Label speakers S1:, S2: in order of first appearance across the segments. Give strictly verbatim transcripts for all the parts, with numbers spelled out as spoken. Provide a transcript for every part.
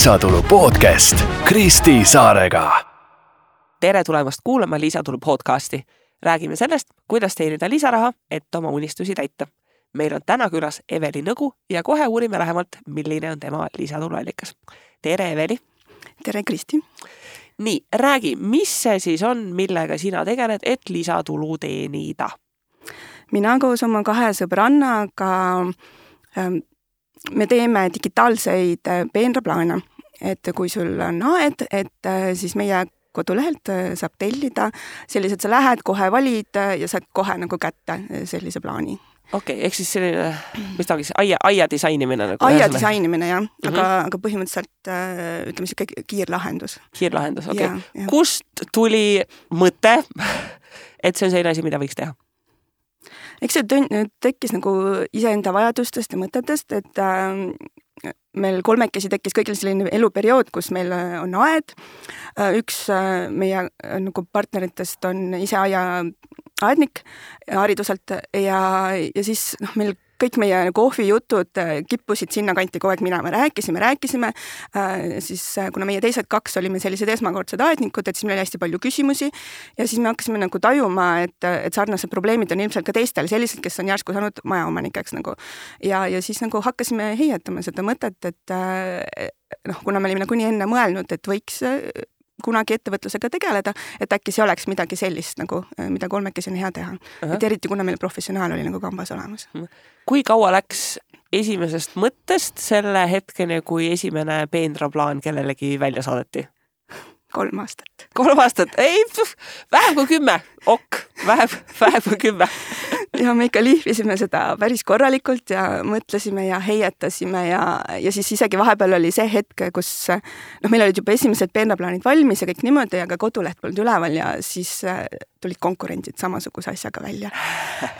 S1: Lisatulu podcast Kristi Saarega.
S2: Tere tulemast kuulama Lisatulu podcasti. Räägime sellest, kuidas teenida lisaraha, et oma unistusi täita. Meil on täna külas Eveli Nõgu ja kohe uurime lähemalt, milline on tema lisatuluallikas. Tere, Eveli!
S3: Tere, Kristi!
S2: Nii, räägi, mis see siis on, millega sina tegeled, et lisatulu teenida?
S3: Mina koos oma kahe sõbrannaga ähm, me teeme digitaalseid peenraplaane, et kui sul on aed, et siis meie kodulehelt saab tellida sellised, sa lähed, kohe valid ja saad kohe nagu kätte sellise plaani.
S2: Okei, okay, ehk siis selline, mis ta oleks, aia, aia disainimine? Nagu
S3: aia disainimine, jah, aga,
S2: mm -hmm.
S3: aga põhimõtteliselt ütleme siuke kiirlahendus.
S2: Kiirlahendus, okei. Okay. Kust tuli mõte, et see on selline asi, mida võiks teha?
S3: Eks see tekkis nagu iseenda vajadustest ja mõtetest, et äh, meil kolmekesi tekkis kõigil selline eluperiood, kus meil on aed. Üks äh, meie äh, nagu partneritest on ise aia aednik hariduselt ja, ja siis noh, meil kõik meie kohvijutud kippusid sinna kanti kogu aeg minema. Rääkisime, rääkisime, äh, siis kuna meie teised kaks olime sellised esmakordsed aednikud, et siis meil oli hästi palju küsimusi ja siis me hakkasime nagu tajuma, et, et sarnased probleemid on ilmselt ka teistel sellised, kes on järsku saanud majaomanikeks nagu. Ja, ja siis nagu hakkasime heietama seda mõtet, et noh, kuna me olime nagu nii enne mõelnud, et võiks kunagi ettevõtlusega tegeleda, et äkki see oleks midagi sellist, nagu, mida kolmekesi on hea teha. Uh-huh. Et eriti kuna meil professionaal oli nagu kambas olemas.
S2: Kui kaua läks esimesest mõttest selle hetkeni, kui esimene peenraplaan kellelegi välja saadeti?
S3: Kolm aastat.
S2: Kolm aastat? Ei, vähem kui kümme. Ok, vähem, vähem kui kümme.
S3: Ja me ikka lihvisime seda päris korralikult ja mõtlesime ja heietasime ja, ja siis isegi vahepeal oli see hetk, kus noh, meil olid juba esimesed peenraplaanid valmis ja kõik niimoodi, aga koduleht polnud üleval ja siis tulid konkurentid samasuguse asjaga välja.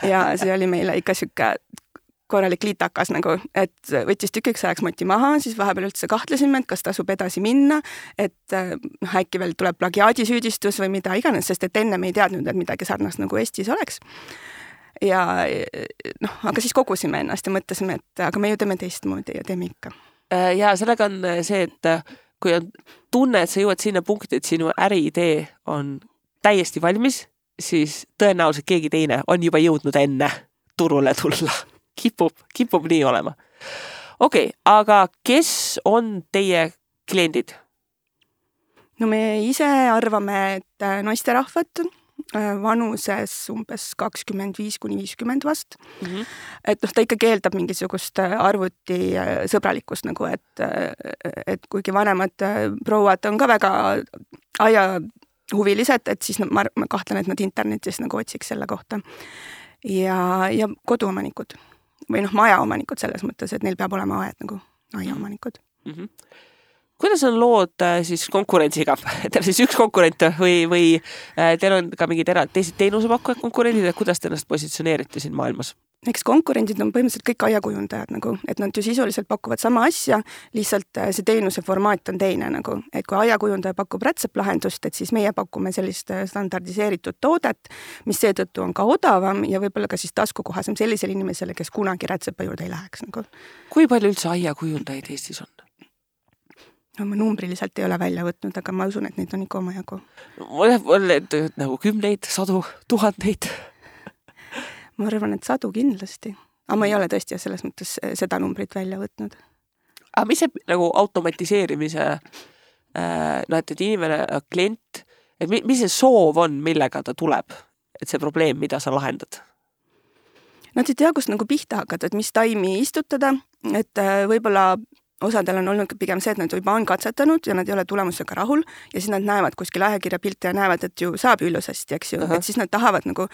S3: Ja see oli meile ikka siuke korralik liitakas nagu, et võttis tükiks ajaks moti maha, siis vahepeal üldse kahtlesime, et kas tasub edasi minna, et noh, äkki veel tuleb plagiaadisüüdistus või mida iganes, sest et enne me ei teadnud, et midagi sarnast nagu Eestis oleks. Ja noh, aga siis kogusime ennast ja mõtlesime, et aga me ju teeme teistmoodi ja teeme ikka.
S2: Ja sellega on see, et kui on tunne, et sa jõuad sinna punkti, et sinu äriidee on täiesti valmis, siis tõenäoliselt keegi teine on juba jõudnud enne turule tulla. Kipub, kipub nii olema. Okei, okay, aga kes on teie kliendid?
S3: No me ise arvame, et naisterahvad vanuses umbes kakskümmend viis kuni viiskümmend vast. Mm-hmm. Et noh, ta ikka keeldab mingisugust arvuti sõbralikkust, nagu et, et kuigi vanemad prouad on ka väga aia huvilised, et siis ma, ma kahtlen, et nad internetis nagu otsiks selle kohta. Ja, ja koduomanikud või noh, majaomanikud selles mõttes, et neil peab olema aed nagu aiaomanikud.
S2: Mm-hmm. Kuidas on lood siis konkurentsiga? Teil on siis üks konkurent või, või teil on ka mingid erad teised teenusepakkujad konkurendid ja kuidas te ennast positsioneerite siin maailmas?
S3: Eks konkurendid on põhimõtteliselt kõik aiakujundajad, nagu, et nad ju sisuliselt pakuvad sama asja, lihtsalt see teenuse formaat on teine. Nagu, et kui aiakujundaja pakub rätseplahendust, et siis meie pakume sellist standardiseeritud toodet, mis seetõttu on ka odavam ja võib-olla ka siis taskukohasem sellisele inimesele, kes kunagi rätsepa juurde ei läheks. Nagu.
S2: Kui palju üldse aiakujundajaid Eestis on?
S3: No ma numbriliselt ei ole välja võtnud, aga ma usun, et neid on ikka oma jagu.
S2: Mulle nagu kümneid, sadu, tuhandeid.
S3: Ma arvan, et sadu kindlasti. Aga ma ei ole tõesti selles mõttes seda numbrit välja võtnud.
S2: Aga mis see nagu automatiseerimise, no et, et inimene, klient, et mis see soov on, millega ta tuleb? Et see probleem, mida sa lahendad?
S3: Nad ei tea, kust nagu pihta hakata, et mis taimi istutada, et võib-olla osadel on olnud pigem see, et nad juba on katsetanud ja nad ei ole tulemusega rahul ja siis nad näevad kuskil ajakirja pilte ja näevad, et ju saab ilusasti, eks ju, uh-huh. et siis nad tahavad nagu,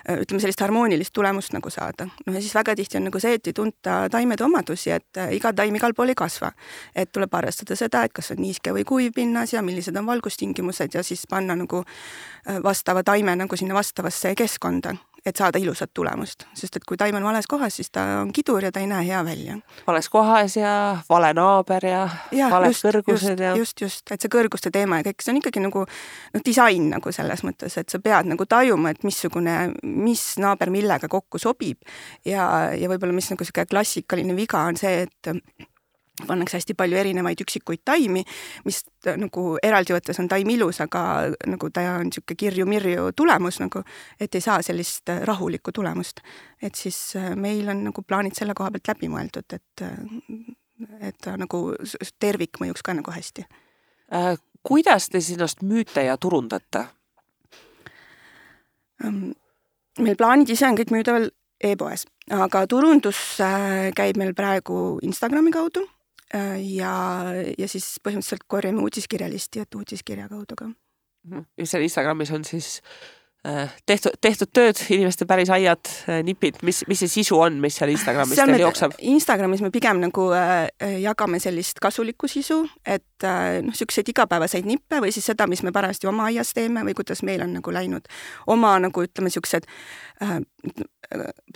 S3: ütleme, sellist harmoonilist tulemust nagu saada. No ja siis väga tihti on nagu see, et ei tunta taimede omadusi, et iga taim igal pool ei kasva. Et tuleb arvestada seda, et kas on niiske või kuiv pinnas ja millised on valgustingimused ja siis panna nagu vastava taime nagu sinna vastavasse keskkonda, et saada ilusat tulemust. Sest et kui taim on vales kohas, siis ta on kidur ja ta ei näe hea välja.
S2: Vales kohas ja vale naaber ja, ja vales just, kõrgused.
S3: Just,
S2: ja...
S3: just, just, et see kõrguste teema ja kõik, see on ikkagi nagu no, disain nagu selles mõttes, et sa pead nagu tajuma, et missugune, mis naaber millega kokku sobib ja, ja võib-olla mis nagu selline klassikaline viga on see, et pannakse hästi palju erinevaid üksikuid taimi, mis nagu eraldi võttes on taim ilus, aga nagu ta on niisugune kirju-mirju tulemus, nagu, et ei saa sellist rahulikku tulemust. Et siis meil on nagu plaanid selle koha pealt läbi mõeldud, et, et ta nagu tervik mõjuks ka nagu hästi.
S2: Äh, kuidas te sinust müüte ja turundate?
S3: Meil plaanid ise on kõik müüdaval e-poes, aga turundus käib meil praegu Instagrami kaudu ja, ja siis põhimõtteliselt korjame uudiskirjalisti, et uudiskirja kaudu ka.
S2: Ja seal Instagramis on siis tehtud, tehtud tööd, inimeste päris aiad, nipid, mis, mis see sisu on, mis seal Instagramis seal teil jookseb?
S3: Instagramis me pigem nagu äh, jagame sellist kasulikku sisu, et äh, noh, selliseid igapäevaseid nippe või siis seda, mis me parajasti oma aias teeme või kuidas meil on nagu läinud oma nagu ütleme sellised äh,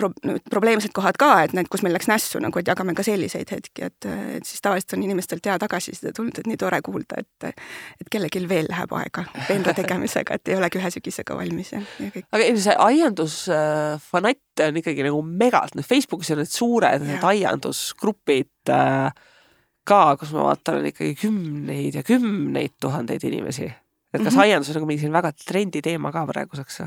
S3: pro, probleemsed kohad ka, et need, kus meil läks nässu, nagu, et jagame ka selliseid hetki, et, et siis tavaliselt on inimestelt hea tagasisida tulnud, et nii tore kuulda, et, et kellelgi veel läheb aega peenra tegemisega, et ei olegi ühe sügisega valmis.
S2: Aga see aiandusfanatt on ikkagi nagu megalt. Facebookis on need suured need aiandusgrupid ka, kus ma vaatan, on ikkagi kümneid ja kümneid tuhandeid inimesi. Et kas mm-hmm. aiandus on nagu mingi väga trendi teema ka praeguseks?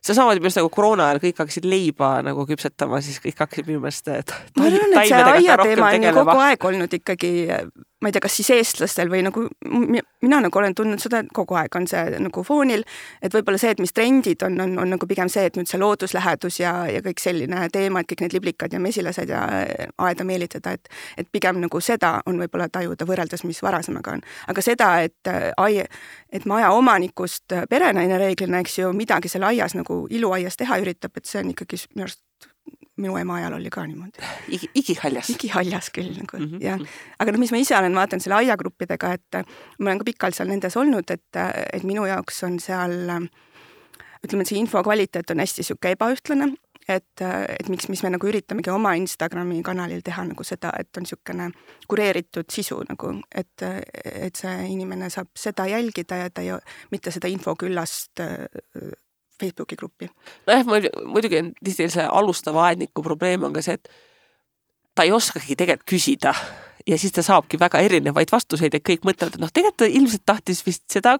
S2: See samamoodi minu nagu koroona ajal kõik hakkasid leiba nagu küpsetama, siis kõik hakkasid minu meelest
S3: ma arvan, et see aiateema on ju kogu aeg olnud ikkagi, ma ei tea, kas siis eestlastel või nagu, mina nagu olen tundnud seda, et kogu aeg on see nagu foonil, et võib-olla see, et mis trendid on, on, on nagu pigem see, et nüüd see looduslähedus ja, ja kõik selline teema, et kõik need liblikad ja mesilased ja aeda meelitada, et, et pigem nagu seda on võib-olla tajuda võrreldes, mis varasemaga on. Aga seda, et, ai, et maja omanikust perenaine reeglina, eks ju, midagi selle aias nagu iluaias teha üritab, et see on ikkagi minu arust minu ema ajal oli ka niimoodi.
S2: Igi, igihaljas.
S3: Igihaljas küll. Nagu, mm-hmm. jah. Aga no, mis ma ise olen vaatan selle aiagruppidega, et ma olen ka pikalt seal nendes olnud, et, et minu jaoks on seal, ütleme, et see info kvaliteet on hästi siuke ebaühtlane, et, et miks, mis me nagu üritamegi oma Instagrami kanalil teha nagu seda, et on siukene kureeritud sisu, nagu, et, et see inimene saab seda jälgida ja ta ei, mitte seda infoküllast Facebooki gruppi.
S2: Noh, muidugi on tihti see alustava aedniku probleem on ka see, et ta ei oskagi tegelikult küsida ja siis ta saabki väga erinevaid vastuseid ja kõik mõtlevad, et noh, tegelikult ta ilmselt tahtis vist seda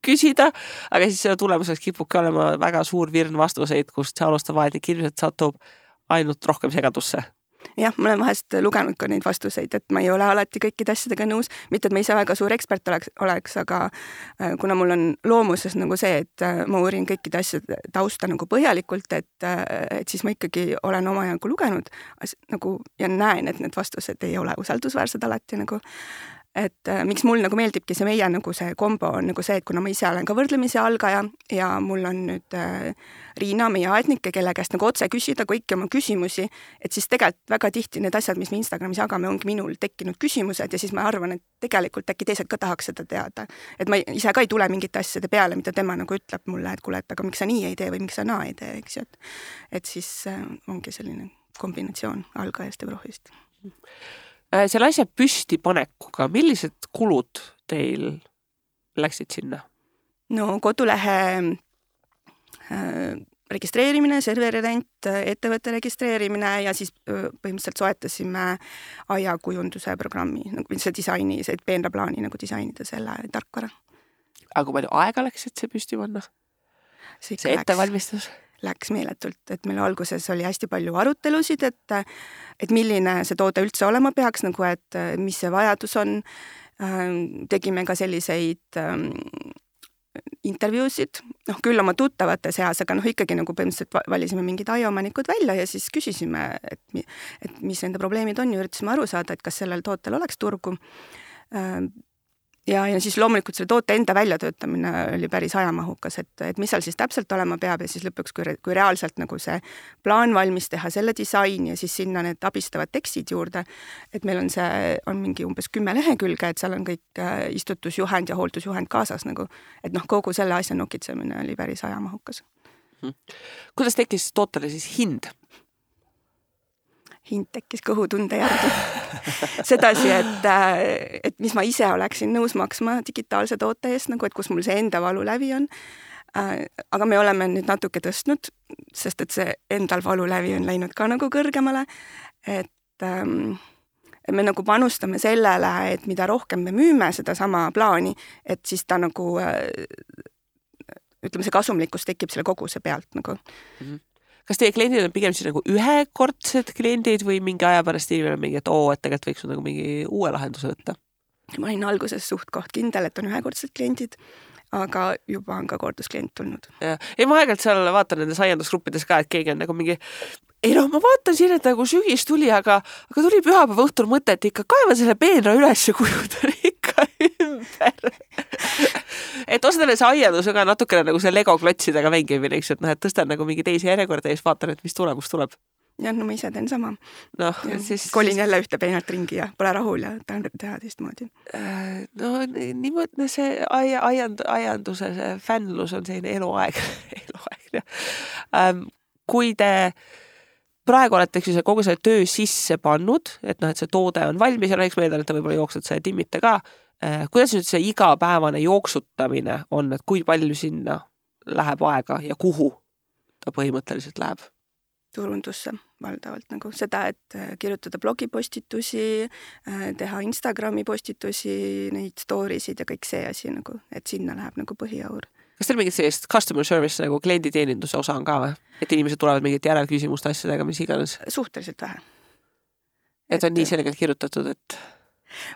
S2: küsida, aga siis selle tulemuseks kipubki olema väga suur virn vastuseid, kust see alustava aednik ilmselt satub ainult rohkem segadusse.
S3: Jah, ma olen vahest lugenud ka neid vastuseid, et ma ei ole alati kõikide asjadega nõus, mitte et ma ise väga suur ekspert oleks, oleks, aga kuna mul on loomuses nagu see, et ma uurin kõikide asjade tausta nagu põhjalikult, et, et siis ma ikkagi olen oma jagu lugenud nagu, ja näen, et need vastused ei ole usaldusväärsed alati nagu. Et äh, miks mul nagu meeldibki see meie nagu see kombo on nagu see, et kuna ma ise olen ka võrdlemisi algaja ja mul on nüüd äh, Riina, meie aednikke, kelle käest nagu otse küsida kõiki oma küsimusi, et siis tegelikult väga tihti need asjad, mis me Instagramis jagame, ongi minul tekkinud küsimused ja siis ma arvan, et tegelikult äkki teised ka tahaks seda teada. Et ma ise ka ei tule mingite asjade peale, mida tema nagu ütleb mulle, et kuule, et aga miks sa nii ei tee või miks sa naa ei tee, eks ju. Et, et siis äh, ongi selline kombinatsioon algajast ja prohvist.
S2: Selle asja püsti panekuga, millised kulud teil läksid sinna? No
S3: kodulehe äh, registreerimine, serveri rent, ettevõtte registreerimine ja siis põhimõtteliselt soetasime aiakujunduse programmi, nagu see disaini, see peenraplaani nagu disainida selle tarkvara.
S2: Aga kui palju aega läks, et see püsti panna? See, see ettevalmistus?
S3: Läks meeletult, et meil alguses oli hästi palju arutelusid, et, et milline see toode üldse olema peaks, nagu et mis see vajadus on. Tegime ka selliseid intervjuusid, noh küll oma tuttavate seas, aga noh ikkagi nagu põhimõtteliselt valisime mingid aiaomanikud välja ja siis küsisime, et, et mis nende probleemid on ja üritasime aru saada, et kas sellel tootel oleks turgu. Ja, ja siis loomulikult selle toote enda väljatöötamine oli päris ajamahukas, et, et mis seal siis täpselt olema peab ja siis lõpuks, kui, kui reaalselt nagu see plaan valmis teha, selle disaini ja siis sinna need abistavad tekstid juurde, et meil on see, on mingi umbes kümme lehekülge, et seal on kõik istutusjuhend ja hooldusjuhend kaasas nagu, et noh, kogu selle asja nokitsemine oli päris ajamahukas.
S2: Hmm. Kuidas tekkis tootele siis hind?
S3: Hind tekkis kõhutunde järgi. Sedasi, et, et mis ma ise oleksin nõus maksma digitaalse toote eest, nagu et kus mul see enda valu lävi on. Aga me oleme nüüd natuke tõstnud, sest et see endal valu lävi on läinud ka nagu kõrgemale. Et, me nagu panustame sellele, et mida rohkem me müüme seda sama plaani, et siis ta nagu ütleme, see kasumlikkus tekib selle koguse pealt nagu.
S2: Mm-hmm. Kas teie kliendid on pigem siis nagu ühekordsed kliendid või mingi aja pärast inimene mingi, et oo, et tegelikult võiks nagu mingi uue lahenduse võtta?
S3: Ma olin alguses suht koht kindel, et on ühekordsed kliendid, aga juba on ka kordusklient tulnud.
S2: Ja, ja ma aegalt seal vaatan nendes aiandusgruppides ka, et keegi on nagu mingi ei no, ma vaatan siin, et nagu sügis tuli, aga, aga tuli pühapäeva õhtul mõte, et ikka kaeva selle peenra üles ja kujutan ikka ümber. Et osadele see aiandus on ka natukene nagu see Lego klotsidega mängimine, eks, et noh, et tõstan nagu mingi teisi järjekorda ja siis vaatan, et mis tulemus tuleb.
S3: jah, no ma ise teen sama.
S2: No, siis...
S3: Kolin jälle ühte peenalt ringi ja pole rahul ja tahan teha teistmoodi.
S2: No niimoodi see aiand, aianduse see fännlus on selline eluaeg. eluaeg ähm, kui te praegu olete see kogu see töö sisse pannud, et noh, et see toode on valmis ja no eks ma eeldan, et te võib-olla jooksud see timmite ka. Kuidas nüüd see igapäevane jooksutamine on, et kui palju sinna läheb aega ja kuhu ta põhimõtteliselt läheb?
S3: Turundusse valdavalt nagu seda, et kirjutada blogipostitusi, teha Instagrami postitusi, neid stories'id ja kõik see asi nagu, et sinna läheb nagu põhiaur.
S2: Kas teil mingit sellist customer service nagu klienditeeninduse osa on ka või? Et inimesed tulevad mingit järelküsimuste asjadega, mis iganes?
S3: Suhteliselt vähe.
S2: Et on et... nii selgelt kirjutatud, et...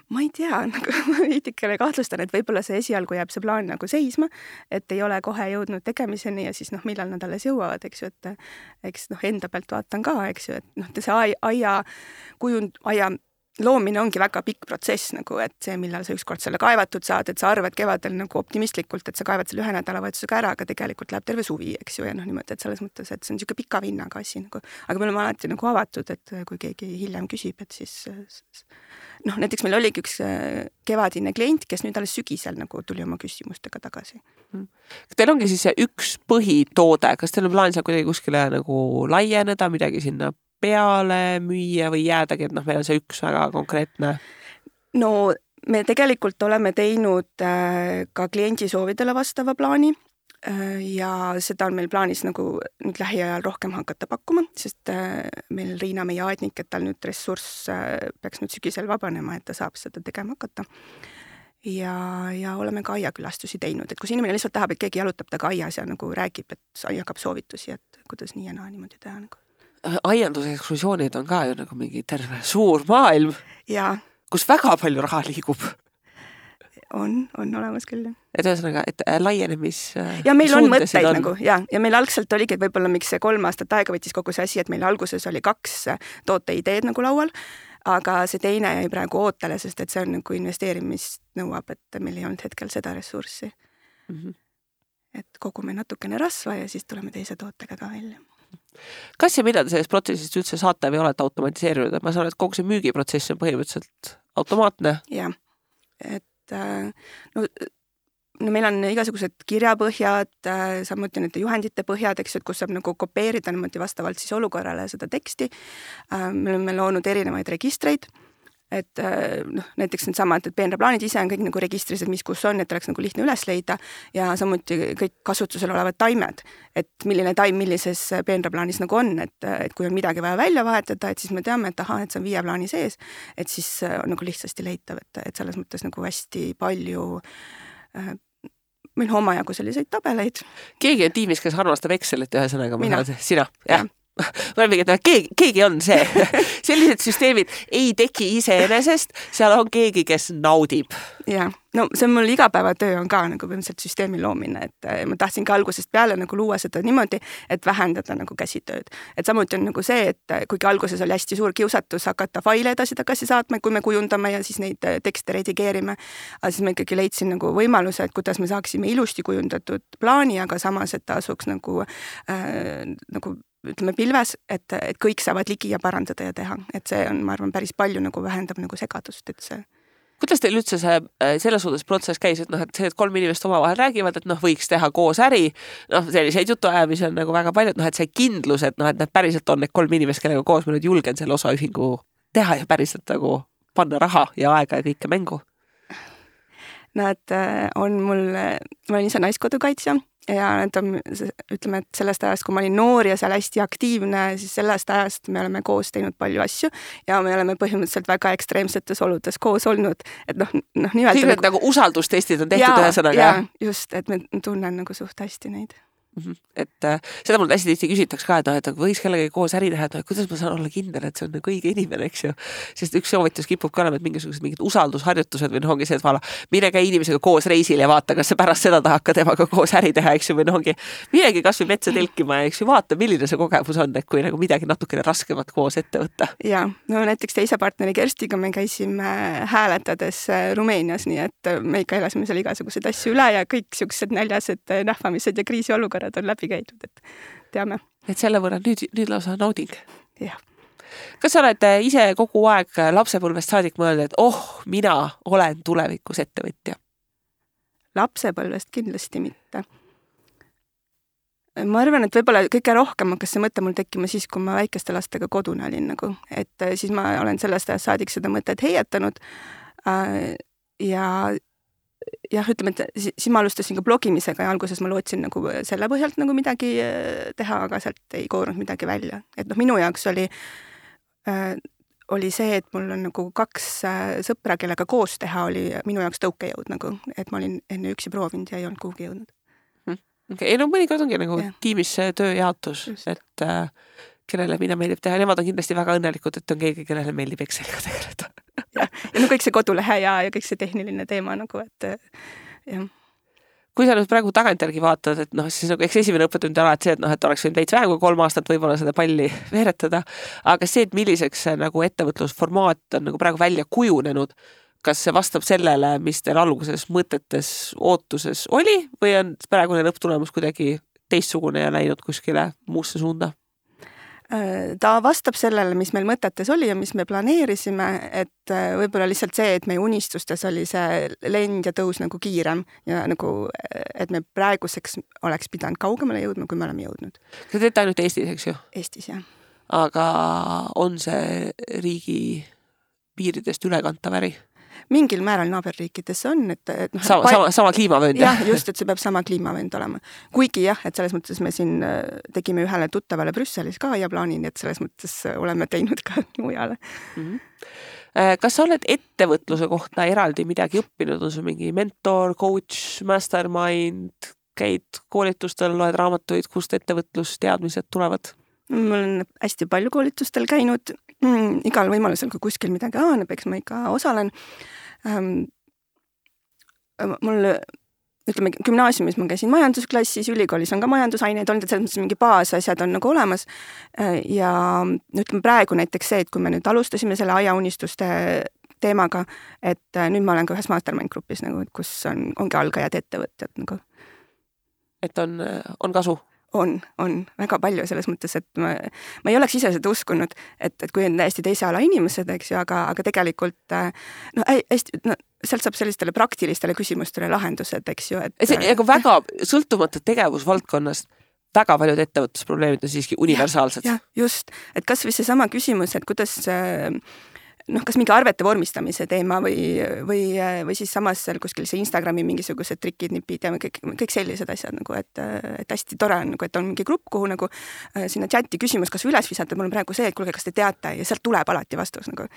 S3: Ma ei tea, nagu ma veidikene kahtlustan, et võib-olla see esialgu jääb see plaan nagu seisma, et ei ole kohe jõudnud tegemiseni ja siis noh, millal nad alles jõuavad, eks ju, et eks noh, enda pealt vaatan ka, eks ju, et noh, see aia kujund, aia loomine ongi väga pikk protsess nagu, et see, millal sa ükskord selle kaevatud saad, et sa arvad kevadel nagu optimistlikult, et sa kaevad selle ühe nädalavahetusega ära, aga tegelikult läheb terve suvi, eks ju, ja noh, niimoodi, et selles mõttes, et see on niisugune pika vinnaga asi nagu, aga me oleme alati nagu avatud, et kui keegi hiljem küsib, et siis noh, näiteks meil oligi üks kevadine klient, kes nüüd alles sügisel nagu tuli oma küsimustega tagasi.
S2: Teil ongi siis see üks põhitoode, kas teil on plaan seal kuidagi kuskile nagu laieneda, midagi sinna peale müüa või jäädagi, et noh, meil on see üks väga konkreetne?
S3: No me tegelikult oleme teinud ka kliendi soovidele vastava plaani ja seda on meil plaanis nagu nüüd lähiajal rohkem hakata pakkuma, sest meil Riina, meie aednik, et tal nüüd ressurss peaks nüüd sügisel vabanema, et ta saab seda tegema hakata. Ja, ja oleme ka aiakülastusi teinud, et kus inimene lihtsalt tahab, et keegi jalutab taga aias ja nagu räägib, et jagab soovitusi, et kuidas nii ja naa niimoodi teha nagu.
S2: Aianduse ekskursioonid on ka ju nagu mingi terve suur maailm,
S3: ja.
S2: Kus väga palju raha liigub.
S3: On, on olemas küll.
S2: Et ühesõnaga, et laienemis
S3: ja meil on mõtteid on. nagu, ja, ja meil algselt oligi, et võib-olla miks see kolm aastat aega võttis kogu see asi, et meil alguses oli kaks tooteideed nagu laual, aga see teine jäi praegu ootele, sest et see on nagu investeerimist nõuab, et meil ei olnud hetkel seda ressurssi. Mm-hmm. Et kogume natukene rasva ja siis tuleme teise tootega ka välja.
S2: Kas ja mida te sellest protsessist üldse saate või olete automatiseerinud? Ma saan, et kogu see müügiprotsess on põhimõtteliselt automaatne.
S3: Ja, et no, no meil on igasugused kirjapõhjad, samuti need juhendite põhjad, eks, et kus saab nagu kopeerida niimoodi vastavalt siis olukorrale seda teksti. Me oleme loonud erinevaid registreid, et noh, näiteks need samad, et peenraplaanid ise on kõik nagu registris, et mis kus on, et oleks nagu lihtne üles leida ja samuti kõik kasutusel olevad taimed, et milline taim millises peenraplaanis nagu on, et, et kui on midagi vaja välja vahetada, et siis me teame, et aha, et see on viie plaani sees, et siis on nagu lihtsasti leitav, et, et selles mõttes nagu hästi palju äh, meil on omajagu selliseid tabeleid.
S2: Keegi on tiimis, kes armastab Excelit ühesõnaga?
S3: Mina.
S2: Sina? Jah. Ma olen mingi, et keegi, keegi on see. Sellised süsteemid ei teki iseenesest, seal on keegi, kes naudib.
S3: Ja, no see on mul igapäevatöö on ka nagu põhimõtteliselt süsteemi loomine, et ma tahtsin ka algusest peale nagu luua seda niimoodi, et vähendada nagu käsitööd. Et samuti on nagu see, et kuigi alguses oli hästi suur kiusatus hakata faile edasi tagasi saatma, kui me kujundame ja siis neid tekste redigeerime, aga siis ma ikkagi leidsin nagu võimaluse, et kuidas me saaksime ilusti kujundatud plaani, aga samas, et ta asuks nagu, äh, nagu ütleme pilves, et, et kõik saavad ligi ja parandada ja teha. Et see on, ma arvan, päris palju nagu vähendab nagu segadust, et see...
S2: Kuidas teil üldse see selles suhtes protsess käis, et noh, et see, et kolm inimest oma vahel räägivad, et noh, võiks teha koos äri, noh, selliseid jutuajamisi on nagu väga palju, et noh, et see kindlus, et noh, et need päriselt on need kolm inimest, kellega koos me nüüd julgen selle osaühingu teha ja päriselt nagu panna raha ja aega ja kõike mängu?
S3: nad on mul, ma olen ise naiskodukaitsja ja nad on, ütleme, et sellest ajast, kui ma olin noor ja seal hästi aktiivne, siis sellest ajast me oleme koos teinud palju asju ja me oleme põhimõtteliselt väga ekstreemsetes oludes koos olnud, et noh, noh nimelt
S2: kõik need nagu usaldustestid on tehtud ühesõnaga.
S3: Ja, just, et me tunnen nagu suht hästi neid.
S2: Mm-hmm. Et äh, seda mul hästi tihti küsitakse ka, et, et võiks kellegagi koos äri teha, et kuidas ma saan olla kindel, et see on nagu õige inimene, eks ju. Sest üks soovitus kipub ka olema, et mingisugused mingid usaldusharjutused või noh, ongi see, et vala, mine käi inimesega koos reisil ja vaata, kas see pärast seda tahab ka temaga koos äri teha, eks ju, või noh, ongi minegi kas või metsa telkima ja eks ju vaata, milline see kogemus on, et kui nagu midagi natukene raskemat koos ette võtta.
S3: Ja, no näiteks teise partneri Kerstiga me käisime hääletades Rumeenias, nii et me ikka elasime seal igasugused asju üle ja kõik siuksed näljased nähvamised ja kriisiolukorrad on läbi käidud, et teame.
S2: Et selle võrra nüüd, nüüd lausa nauding.
S3: Jah.
S2: Kas sa oled ise kogu aeg lapsepõlvest saadik mõelnud, et oh, mina olen tulevikus ettevõtja?
S3: Lapsepõlvest kindlasti mitte. Ma arvan, et võib-olla kõige rohkem hakkas see mõte mul tekkima siis, kui ma väikeste lastega kodune olin nagu, et siis ma olen sellest ajast saadik seda mõtet heietanud ja jah, ütleme, et siis ma alustasin ka blogimisega ja alguses ma lootsin nagu selle põhjalt nagu midagi teha, aga sealt ei koorunud midagi välja. Et noh, minu jaoks oli, äh, oli see, et mul on nagu kaks äh, sõpra, kellega koos teha, oli minu jaoks tõukejõud nagu, et ma olin enne üksi proovinud ja ei olnud kuhugi jõudnud.
S2: Okay. Ei no mõnikord ongi nagu ja. Tiimis tööjaotus, Just. et äh, kellele mina meeldib teha, nemad on kindlasti väga õnnelikud, et on keegi, kellele meeldib Exceliga tegeleda.
S3: ja, ja no kõik see kodulehe ja, ja kõik see tehniline teema nagu, et jah.
S2: Kui sa nüüd praegu tagantjärgi vaatad, et noh, siis nagu eks esimene õppetund on alati see, et noh, et oleks võinud veits vähem kui kolm aastat võib-olla seda palli veeretada, aga see, et milliseks see nagu ettevõtlusformaat on nagu praegu välja kujunenud, kas see vastab sellele, mis teil alguses mõtetes ootuses oli või on praegune lõpptulemus kuidagi teistsugune ja läinud kuskile muusse suunda?
S3: Ta vastab sellele, mis meil mõtetes oli ja mis me planeerisime, et võib-olla lihtsalt see, et meie unistustes oli see lend ja tõus nagu kiirem ja nagu, et me praeguseks oleks pidanud kaugemale jõudma, kui me oleme jõudnud.
S2: Sa teete ainult Eestis, eks ju?
S3: Eestis, jah.
S2: Aga on see riigi piiridest ülekantav äri?
S3: Mingil määral naaberriikides on, et, et noh,
S2: sama, sama, sama kliimavöönd.
S3: jah, just, et see peab sama kliimavöönd olema. Kuigi jah, et selles mõttes me siin tegime ühele tuttavale Brüsselis ka ja plaanin, et selles mõttes oleme teinud ka mujale.
S2: Mm-hmm. Kas sa oled ettevõtluse kohta eraldi midagi õppinud? On sul mingi mentor, coach, mastermind, käid koolitustel, loed raamatuid, kust ettevõtlusteadmised tulevad?
S3: Ma olen hästi palju koolitustel käinud, mm, igal võimalusel, kui kuskil midagi aaneb, eks ma ikka osalen. Ähm, mul, ütleme, gümnaasiumis ma käisin majandusklassis, ülikoolis on ka majandusaineid olnud, et selles mõttes mingi baasasjad on nagu olemas. Ja ütleme praegu näiteks see, et kui me nüüd alustasime selle aiaunistuste teemaga, et nüüd ma olen ka ühes mastermind grupis, nagu, kus on, ongi algajad ettevõtjad. Nagu.
S2: Et on, on kasu?
S3: On, on väga palju selles mõttes, et ma, ma ei oleks ise seda uskunud, et, et kui on täiesti teise ala inimesed, eks ju, aga, aga tegelikult no, hästi, no, sealt saab sellistele praktilistele küsimustele lahendused, eks ju. Et,
S2: see, aga väga sõltumata tegevusvaldkonnast, väga paljud ettevõtlusprobleemid on siiski universaalsed.
S3: Ja, just, et kas või see sama küsimus, et kuidas noh, kas mingi arvete vormistamise teema või, või, või siis samas seal kuskil see Instagrami mingisugused trikid, nipid ja kõik, kõik sellised asjad nagu, et, et hästi tore on, nagu, et on mingi grupp, kuhu nagu sinna chati küsimus, kas üles visata, mul on praegu see, et kuulge, kas te teate ja sealt tuleb alati vastus nagu,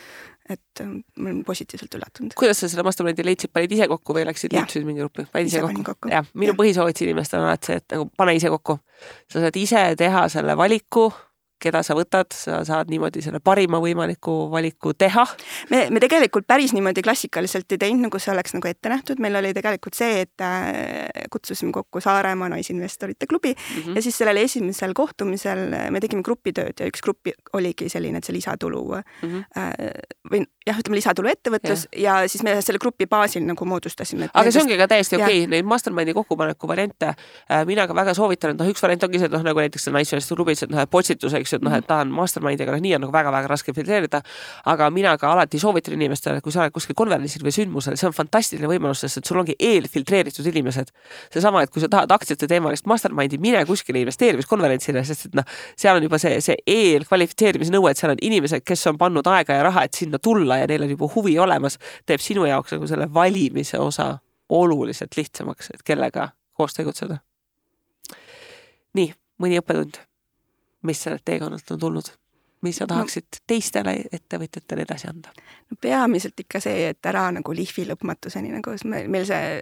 S3: et ma olen positiivselt üllatunud.
S2: Kuidas sa selle mastermindi leidsid, panid ise kokku või läksid liitusid mingi gruppi? Panid ise kokku? kokku. Ja, minu ja. Põhisoovitus inimestel on alati see, et nagu pane ise kokku. Sa saad ise teha selle valiku, keda sa võtad, sa saad niimoodi selle parima võimaliku valiku teha.
S3: Me, me tegelikult päris niimoodi klassikaliselt ei teinud, nagu see oleks nagu ette nähtud. Meil oli tegelikult see, et kutsusime kokku Saaremaa naisinvestorite klubi mm -hmm. ja siis sellel esimesel kohtumisel me tegime grupitööd ja üks gruppi oligi selline, et see lisatulu mm -hmm. või jah, ütleme lisatulu ettevõtlus ja. ja siis me selle grupi baasil nagu moodustasime.
S2: Aga see ongi ka täiesti okei, okay. Neid mastermindi kokkupaneku variante mina ka väga soovitan, et noh, üks variant ongi see, et noh, nagu näiteks naisvestor klubis, et noh, potsituseks et noh, et tahan mastermindiga, nii on nagu väga-väga raske filtreerida, aga mina ka alati soovitan inimestele, kui sa oled kuskil konverentsil või sündmusel, see on fantastiline võimalus, sest et sul ongi eelfiltreeritud inimesed. See sama, et kui sa tahad aktsiate teemalist mastermindi, mine kuskile investeerimiskonverentsile, sest et noh, seal on juba see, see eelkvalifitseerimise nõue, et seal on inimesed, kes on pannud aega ja raha, et sinna tulla ja neil on juba huvi olemas, teeb sinu jaoks nagu selle valimise osa oluliselt lihtsamaks, et kellega koos tegutseda. Nii, mõni õppetund, mis sellelt teekonnalt on tulnud? Mis sa tahaksid no, teistele ettevõtjatele edasi anda?
S3: No peamiselt ikka see, et ära nagu lihvi lõpmatuseni, nagu meil see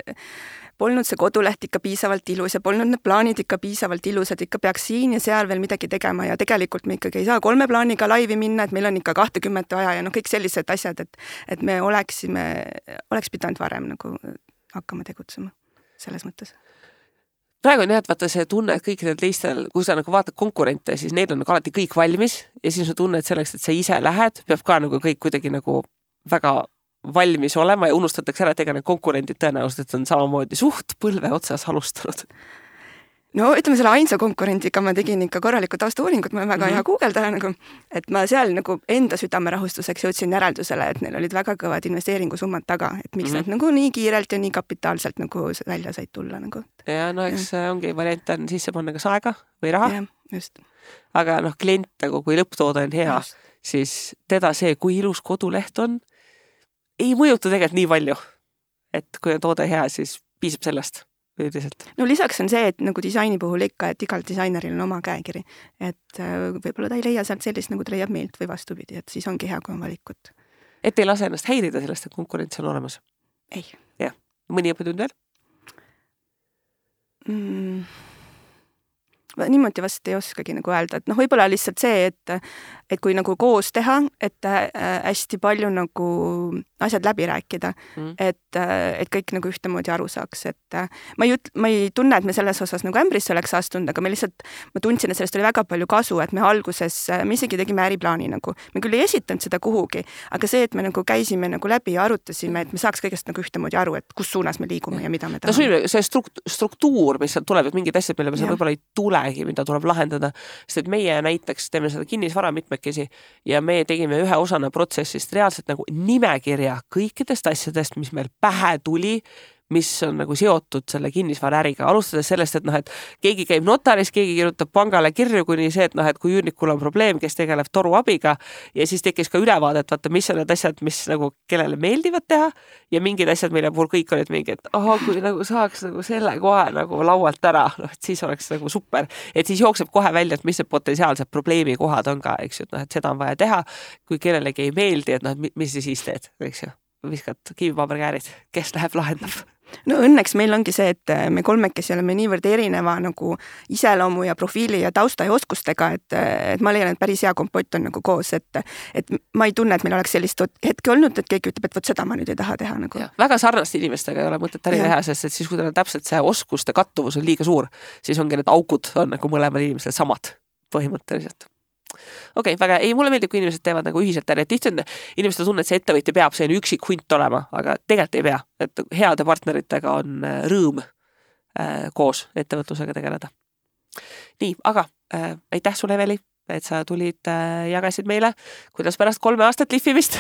S3: polnud see koduleht ikka piisavalt ilus ja polnud need plaanid ikka piisavalt ilusad, ikka peaks siin ja seal veel midagi tegema ja tegelikult me ikkagi ei saa kolme plaaniga laivi minna, et meil on ikka kahtekümmet vaja ja noh, kõik sellised asjad, et, et me oleksime, oleks pidanud varem nagu hakkama tegutsema selles mõttes.
S2: Praegu on jah, et vaata see tunne, et kõikidel teistel, kui sa nagu vaatad konkurente, siis neil on nagu alati kõik valmis ja siis on tunne, et selleks, et sa ise lähed, peab ka nagu kõik kuidagi nagu väga valmis olema ja unustatakse ära, et ega need konkurendid tõenäoliselt on samamoodi suht põlve otsas alustanud.
S3: No ütleme, selle ainsa konkurendiga ma tegin ikka korralikku taustauuringut, ma olen väga mm-hmm. hea guugeldaja, nagu, et ma seal nagu enda südamerahustuseks jõudsin järeldusele, et neil olid väga kõvad investeeringusummad taga, et miks mm-hmm. nad nagu nii kiirelt ja nii kapitaalselt nagu välja said tulla. Nagu.
S2: Ja no eks ja. ongi variant on sisse panna kas aega või raha.
S3: Ja, just.
S2: Aga noh, klient nagu, kui lõpptoode on hea, just. siis teda see, kui ilus koduleht on, ei mõjuta tegelikult nii palju. Et kui on toode hea, siis piisab sellest. Üldiselt. No lisaks on see, et nagu disaini puhul ikka, et igal disaineril on oma käekiri, et võib-olla ta ei leia sealt sellist, nagu ta leiab meilt või vastupidi, et siis ongi hea, kui on valikut. Et ei lase ennast häirida sellest, et konkurents on olemas?
S3: Ei.
S2: Jah. Mõni õppetund veel?
S3: Mm. Niimoodi vast ei oskagi nagu öelda, et noh, võib-olla lihtsalt see, et, et kui nagu koos teha, et hästi palju nagu asjad läbi rääkida, mm. et, et kõik nagu ühtemoodi aru saaks, et ma ei, ma ei tunne, et me selles osas nagu ämbrisse oleks astunud, aga me lihtsalt, ma tundsin, et sellest oli väga palju kasu, et me alguses, me isegi tegime äriplaani nagu, me küll ei esitanud seda kuhugi, aga see, et me nagu käisime nagu läbi ja arutasime, et me saaks kõigest nagu ühtemoodi aru, et kus suunas me liigume ja mida me tahame.
S2: See struktuur, mis sealt tuleb, et mingid asjad, mille me seal võib-olla ei tule, mida tuleb lahendada, sest et meie näiteks teeme seda kinnisvara mitmekesi ja me tegime ühe osana protsessist reaalselt nagu nimekirja kõikidest asjadest, mis meil pähe tuli, mis on nagu seotud selle kinnisvara äriga. Alustades sellest, et noh, et keegi käib notaris, keegi kirjutab pangale kirju kuni see, et noh, et kui üürnikul on probleem, kes tegeleb toru abiga ja siis tekkis ka ülevaadet, vaata, mis on need asjad, mis nagu kellele meeldivad teha ja mingid asjad, mille puhul kõik olid mingi, et aha, kui nagu saaks nagu selle kohe nagu laualt ära, noh, et siis oleks nagu super. Et siis jookseb kohe välja, et mis need potentsiaalsed probleemi kohad on ka, eks ju, et noh, et seda on vaja teha, kui kellelegi ei meeldi, et noh, mis siis teed, eks ju, viskad kivipaberkäärid, kes läheb lahendab.
S3: No õnneks meil ongi see, et me kolmekesi oleme niivõrd erineva nagu iseloomu ja profiili ja tausta ja oskustega, et, et ma leian, et päris hea kompott on nagu koos, et, et ma ei tunne, et meil oleks sellist hetke olnud, et keegi ütleb, et võt seda ma nüüd ei taha teha. Nagu.
S2: Ja, väga sarnaste inimestega ei ole mõtet äri teha, sest et siis, kui teil on täpselt see oskuste kattuvus on liiga suur, siis ongi need augud on nagu mõlemad inimesed samad põhimõtteliselt. Okei, okay, väga, ei, mulle meeldib, kui inimesed teevad nagu ühiselt äri, et tihti on inimesed tunne, et see ettevõtja peab see üksik hunt olema, aga tegelikult ei pea, et heade partneritega on rõõm äh, koos ettevõtlusega tegeleda. Nii, aga äh, aitäh sulle, Eveli, et sa tulid äh, jagasid meile, kuidas pärast kolme aastat lihvimist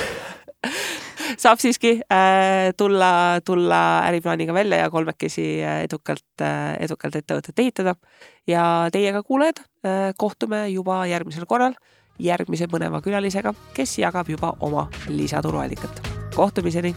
S2: saab siiski äh, tulla, tulla äriplaaniga välja ja kolmekesi edukalt, äh, edukalt ettevõtet ehitada. Ja teiega kuulajad äh, kohtume juba järgmisel korral järgmise mõneva külalisega, kes jagab juba oma lisaturuallikat. Kohtumiseni!